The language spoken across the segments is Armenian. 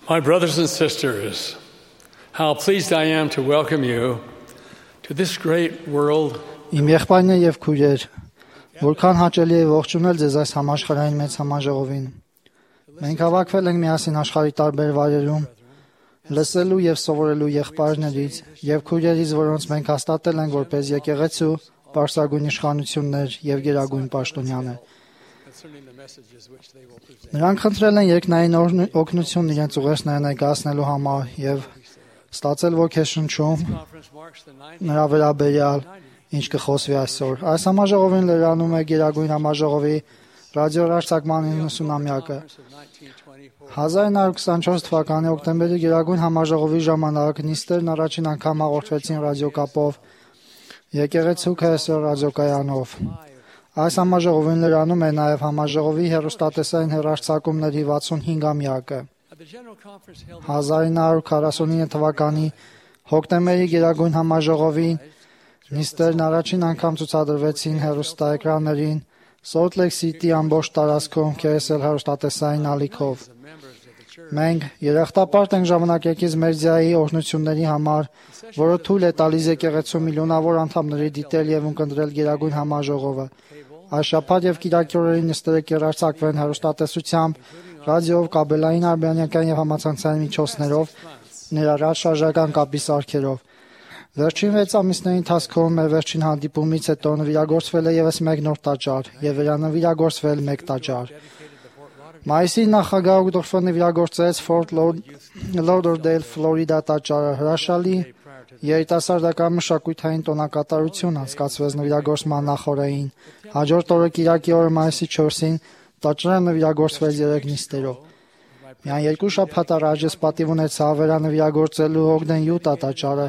My brothers and sisters, how pleased I am to welcome you to this great world. Իմ եղբայրներ եւ քույրեր, որքան հաճելի է ողջունել ձեզ այս համաշխարհային մեծ համաժողովին։ Մենք հավաքվել ենք միասին աշխարհի տարբեր վայրերում, լսելու եւ սովորելու եղբայրներից եւ քույրերից, որոնց մենք հաստատել ենք որպես եկեղեցու պարսագույն իշխանություններ եւ գերագույն պաշտոնյաներ։ Նրանք խնդրել են երկնային օգնություն իրենց ուղերձները ներկայացնելու համար եւ ստացել ոգեշնչում նրա վերաբերյալ, ինչ կխոսվի այսօր։ Այս համաժողովին լրանում է Գերագույն համաժողովի ռադիոհեռարձակման 90-ամյակը։ 1924 թվականի օկտեմբերի Գերագույն համաժողովի ժամանակ նիստերն առաջին անգամ հաղորդվեցին ռադիոկապով եկեղեցու KSO ռադիոկայանով։ Այս համաժողովին լրանում է նաև համաժողովի հեռուստատեսային հեռարձակումների 65-ամյակը։ 1949 թվականի հոկտեմբերի Գերագույն համաժողովին նիստերն առաջին անգամ ցուցադրվեցին հեռուստաէկրաններին Salt Lake City ամբողջ տարածքում KSL հեռուստատեսային ալիքով։ Մենք երախտապարտ ենք ժամանակակից մեդիայի օրհնությունների համար, որը թույլ է տալիս եկեղեցու միլիոնավոր անդամների դիտել եւ ունկնդրել Գերագույն համաժողովը։ Այս շաբաթ եւ կիրակի օրերի նիստերը կհեռարձակվեն հեռուստատեսությամբ, ռադիոյով, կաբելային, արբանյակային եւ համացանցային միջոցներով, ներառյալ շարժական կապի սարքերով։ Վերջին 6 ամիսների ընթացքում մեր վերջին հանդիպումից հետո նվիրագործվել է եւս մեկ նոր տաճար եւ վերանվիրագործվել մեկ տաճար։ Մայիսի նախագահ Ուգդորֆը նվիրագործեց Fort Lauderdale, Ֆլորիդա տաճարը։ Հրաշալի երիտասարդական մշակութային տոնակատարություն անցկացվեց նվիրագործման նախօրեին։ Հաջորդ օրը կիրակի օրը մայիսի 4-ին տաճարը նվիրագործվեց 3 նիստերով։ Միայն 2 շաբաթ առաջ ես պատիվ ունեցա վերանվիրագործելու Ogden Utah տաճարը,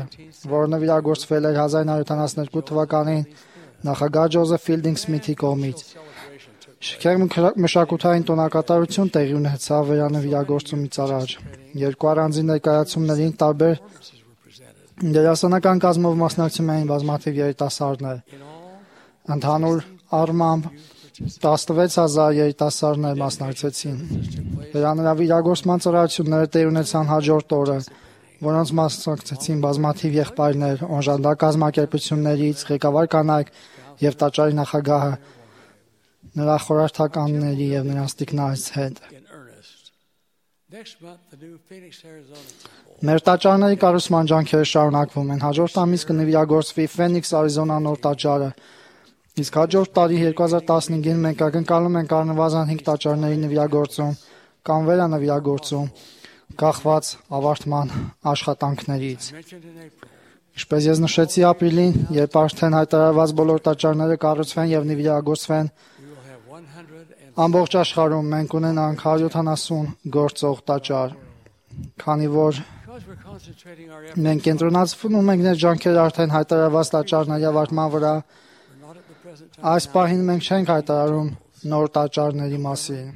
որը նվիրագործվել էր 1972 թվականին նախագահ Ջոզեֆ Ֆիլդինգ Սմիթի կողմից։ Շքեղ մշակութային տոնակատարություն տեղի ունեցավ վերանվիրագործումից առաջ։ Երկու առանձին ներկայացումներին տարբեր դերասանական կազմով մասնակցում էին բազմաթիվ երիտասարդներ։ Ընդհանուր առմամբ 16,000 երիտասարդներ մասնակցեցին։ Վերանվիրագործման ծառայությունները տեղի ունեցան հաջորդ օրը, որոնց մասնակցեցին բազմաթիվ եղբայրներ, օժանդակ կազմակերպություններից, ղեկավար կանայք եւ տաճարի նախագահը, նրա խորհրդականների եւ նրանց տիկնայց հետ։ Մեր տաճարների կառուցման ջանքերը շարունակվում են։ Հաջորդ ամիս կնվիրագործվի Phoenix, Arizona նոր տաճարը։ Իսկ հաջորդ տարի 2015-ին մենք ակնկալում ենք առնվազն 5 տաճարների նվիրագործում կամ վերանվիրագործում, կախված ավարտման աշխատանքներից։ Ինչպես ես նշեցի ապրիլին, երբ արդեն հայտարարված բոլոր տաճարները կառուցվեն եւ նվիրագործվեն, ամբողջ աշխարհում մենք ունենանք 170 գործող տաճար, քանի որ մենք կենտրոնացվում ենք ներ ջանքերը արդեն հայտարարված տաճարների ավարտման վրա։ Այս պահին մենք չենք հայտարարում նոր տաճարների մասին,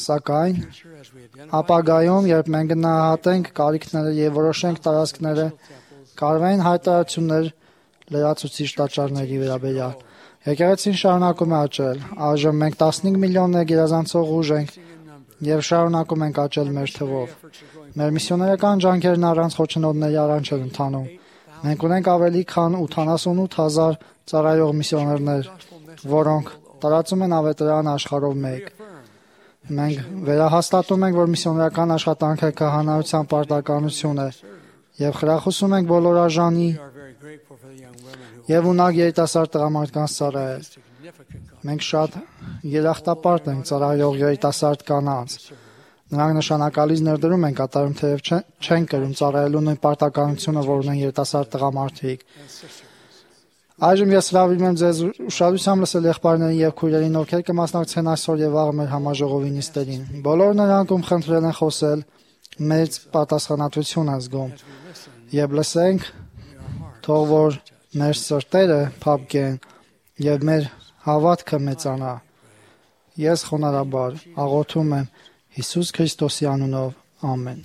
սակայն ապագայում, երբ մենք գնահատենք կարիքները եւ որոշենք տարածքները, կարող են հայտարարություններ լրացուցիչ տաճարների վերաբերյալ։ Եկեղեցին շարունակում է աճել։ Այժմ մենք 15 միլիոն գերազանցող ուժ ենք եւ շարունակում ենք աճել մեր թվով։ Մեր միսիոներական ջանքերն առանց խոչընդոտների առանց չեն ընթանում։ Մենք ունենք ավելի քան 88,000 ծառայող միսիոներներ, որոնք տարածում են ավետարան աշխարհով մեկ։ Մենք վերահաստատում ենք, որ միսիոներական աշխատանքը քահանայության պարտականություն է եւ խրախուսում ենք բոլոր արժանի եւ ունակ երիտասարդ տղամարդկանց ծառայել։ Մենք շատ երախտապարտ ենք ծառայող երիտասարդ կանանց։ Նրանք նշանակալից ներդրում են կատարում, թեև չեն կրում ծառայելու նույն պարտականությունը, որ ունեն երիտասարդ տղամարդիկ։ Այժմ ես հրավիրում եմ ձեզ ուշադրությամբ լսել եղբայրներին եւ քույրերին, ովքեր կմասնակցեն այսօր եւ վաղը մեր համաժողովի նիստերին։ Բոլոր նրանք ում խնդրել են խոսել, մեծ պատասխանատվություն են զգում։ Եվ լսենք, թող որ մեր սրտերը փափկեն եւ մեր հավատքը մեծանա։ Ես խոնարհաբար աղոթում եմ Հիսուս Քրիստոսի անունով, ամեն։